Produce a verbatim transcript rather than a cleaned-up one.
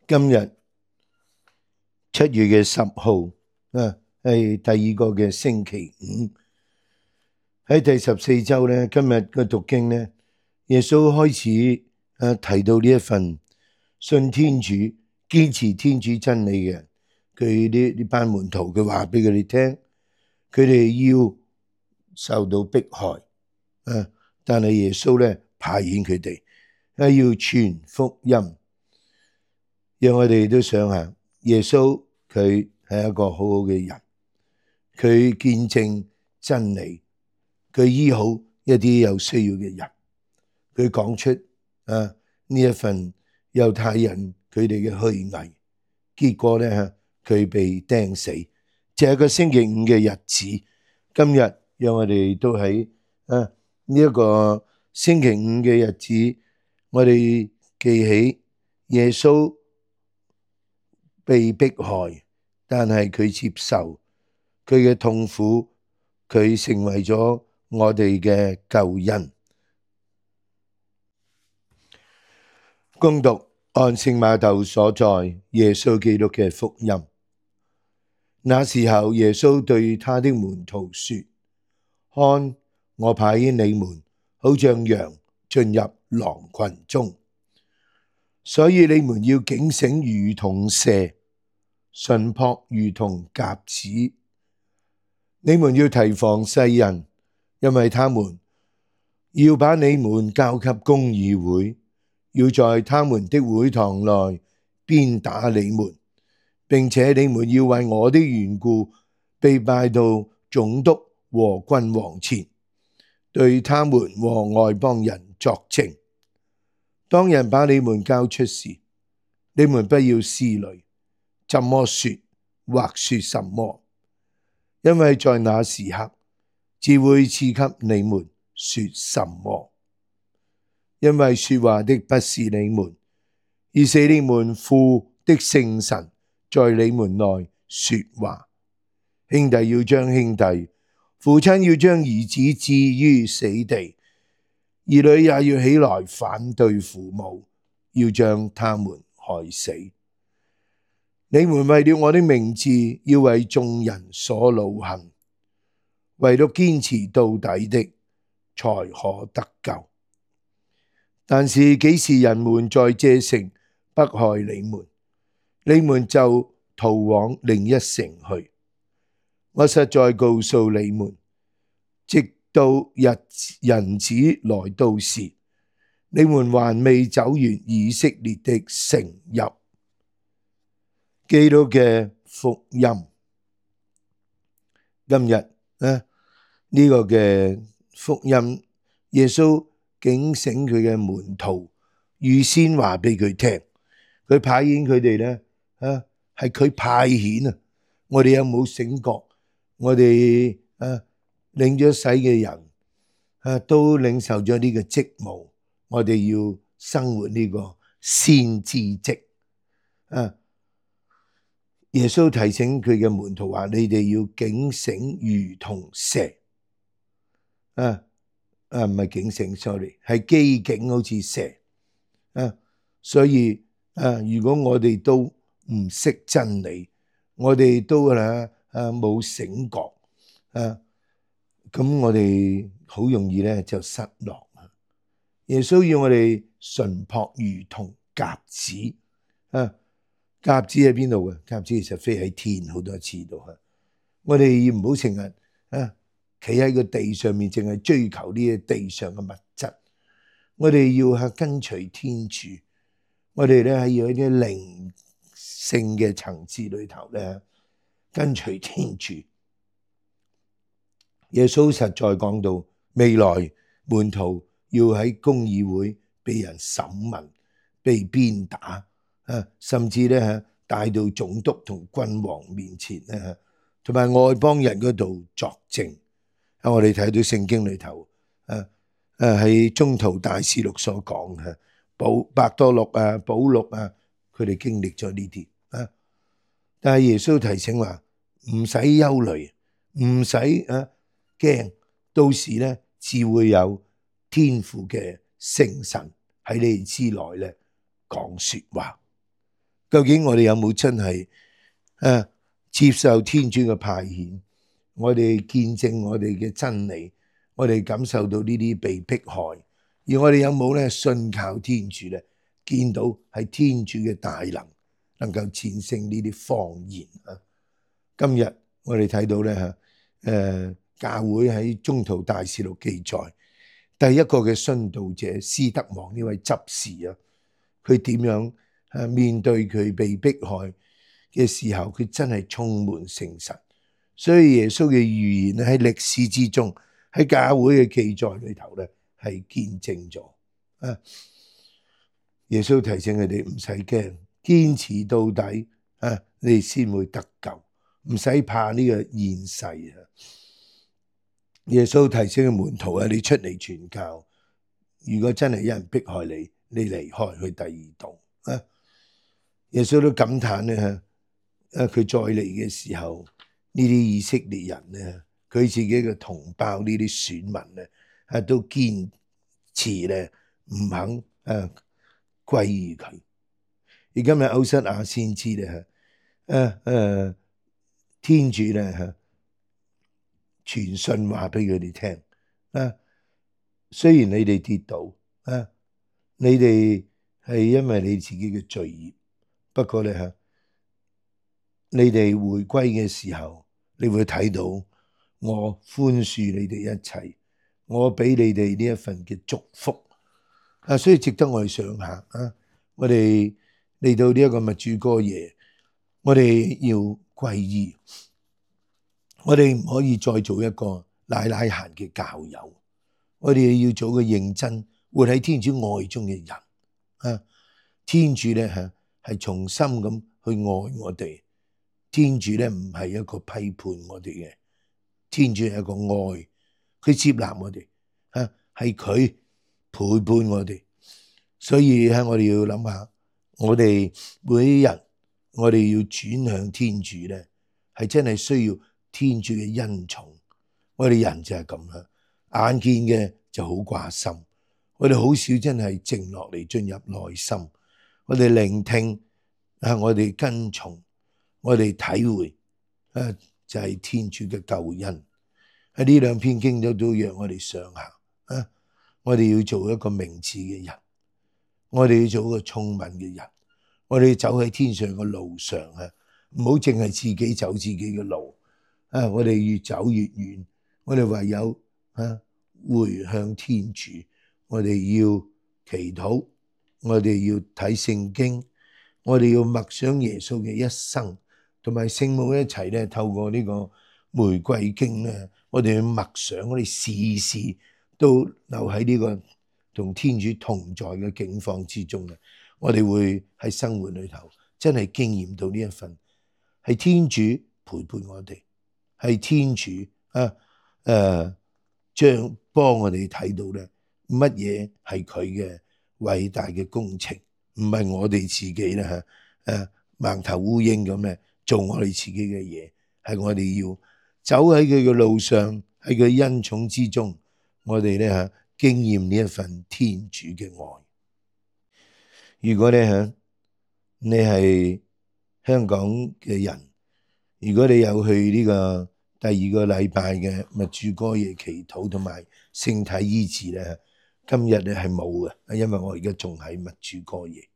今日七月嘅十號啊，係第二個嘅星期五。喺第十四周咧，今日嘅讀經咧，耶穌開始啊提到呢一份信天主、堅持天主真理嘅人，佢呢呢班門徒，佢話俾佢哋聽，佢哋要受到迫害啊，但係耶穌咧派遣佢哋啊要傳福音，讓我哋都想下，耶穌佢係一個好好嘅人，佢見證真理。佢醫好一啲有需要嘅人，佢講出啊呢一份猶太人佢哋嘅虛偽，結果咧佢被釘死，就係個星期五嘅日子。今日讓我哋都喺啊呢一個星期五嘅日子，我哋記起耶穌被迫害，但係佢接受佢嘅痛苦，佢成為咗我哋嘅救恩。恭讀按聖馬竇所載耶穌基督嘅福音。那時候，耶穌對他的門徒說：看，我派遣你們，好像羊進入狼群中，所以你們要警醒如同蛇，純樸如同鴿子。你們要提防世人，因為他們要把你們交給公議會，要在他們的會堂內鞭打你們，並且你們要為我的緣故被帶到總督和君王前，對他們和外邦人作證。當人把你們交出時，你們不要思慮怎麼說或說什麼，因為在那時刻只會賜給你們說什麼。因為說話的不是你們，而是你們父的聖神在你們內說話。兄弟要將兄弟，父親要將兒子置於死地，兒女也要起來反對父母，要將他們害死。你們為了我的名字，要為眾人所惱恨，唯獨堅持到底的，才可得救。但是幾時人們在這城迫害你們，你們就逃往另一城去。我實在告訴你們，直到日人子來到時，你們還未走完以色列的城邑。基督嘅福音。今日呢呢個嘅福音，耶穌警醒佢嘅門徒，預先話俾佢聽，佢派遣佢哋咧，啊係佢派遣啊！我哋有冇醒覺？我哋啊領咗洗嘅人啊都領受咗呢個職務，我哋要生活呢個先知職啊！耶穌提醒佢嘅門徒話：你哋要警醒如同蛇啊！啊，唔係警醒 ，sorry， 係機警，好似蛇啊！所以啊，如果我哋都唔識真理，我哋都啊啊冇醒覺啊，咁我哋好容易咧就失落。耶穌要我哋純樸如同鴿子啊！鴿子喺邊度嘅？鴿子其實飛喺天好多次度啊！我哋唔好成日啊〜企喺個地上面，淨係追求呢啲地上嘅物質。我哋要係跟隨天主，我哋咧係要喺啲靈性嘅層次裏頭咧跟隨天主。耶穌實在講到未來門徒要喺公議會被人審問、被鞭打啊，甚至咧帶到總督同君王面前咧，同埋外邦人嗰度作證。我哋睇到聖經裏頭，誒誒喺宗徒大事錄所講嘅，保伯多祿啊、保祿啊，佢哋經歷咗呢啲啊。但係耶穌提醒話，唔使憂慮，唔使啊驚，到時咧只會有天父嘅聖神喺你哋之內咧講說話。究竟我哋有冇真係誒接受天主嘅派遣？我哋見證我哋嘅真理，我哋感受到呢啲被迫害，而我哋有冇咧信靠天主咧？見到係天主嘅大能，能夠戰勝呢啲謊言啊！今日我哋睇到咧嚇，誒教會喺宗徒大事錄記載，第一個嘅殉道者斯德望呢位執事啊，佢點樣誒面對佢被迫害嘅時候，佢真係充滿誠實。所以耶穌嘅預言喺歷史之中，喺教會嘅記載裏頭咧，係見證咗啊！耶穌提醒佢哋唔使驚，堅持到底啊，你哋先會得救，唔使怕呢個現世啊！耶穌提醒嘅門徒啊，你出嚟傳教，如果真係有人迫害你，你離開去第二度啊！耶穌都感嘆咧，啊佢再嚟嘅時候，呢啲以色列人咧，佢自己嘅同胞呢啲選民咧，啊都堅持咧唔肯誒歸於佢。而今日歐瑟亞先知咧，誒誒天主咧嚇傳信話俾佢哋聽啊，雖然你哋跌倒啊，你哋係因為你自己嘅罪孽，不過咧嚇，你哋回歸嘅時候，你會睇到我寬恕你哋一切，我俾你哋呢一份嘅祝福啊，所以值得我哋想下啊！我哋嚟到呢一個默主哥夜，我哋要歸依，我哋唔可以再做一個奶奶閒嘅教友，我哋要做個認真活喺天主愛中嘅人啊！天主咧嚇係從心咁去愛我哋，天主咧唔係一個批判我哋嘅，天主係一個愛，佢接納我哋啊，係佢陪伴我哋，所以喺我哋要諗下，我哋每一日我哋要轉向天主咧，係真係需要天主嘅恩寵。我哋人就係咁啦，眼見嘅就好掛心，我哋好少真係靜落嚟進入內心，我哋聆聽啊，我哋跟從，我哋體會啊，就係天主嘅救恩。喺呢兩篇經都都讓我哋想下啊，我哋要做一個明智嘅人，我哋要做一個聰明嘅人，我哋走喺天上嘅路上啊，唔好淨係自己走自己嘅路啊！我哋越走越遠，我哋唯有啊回向天主，我哋要祈禱，我哋要睇聖經，我哋要默想耶穌嘅一生，同埋聖母一齊咧，透過呢個玫瑰經咧，我哋去默想，我哋時時都留喺呢個同天主同在嘅境況之中咧，我哋會喺生活裏頭真係經驗到呢一份係天主陪伴我哋，係天主啊誒將幫我哋睇到咧乜嘢係佢嘅偉大嘅工程，唔係我哋自己咧嚇誒盲頭烏蠅咁咧做我哋自己嘅嘢，係我哋要走喺佢嘅路上，喺佢恩寵之中，我哋咧嚇經驗呢一份天主嘅愛。如果咧嚇你係香港嘅人，如果你有去呢個第二個禮拜嘅默主哥夜祈禱同埋聖體醫治咧，今日咧係冇嘅，因為我而家仲喺默主哥夜。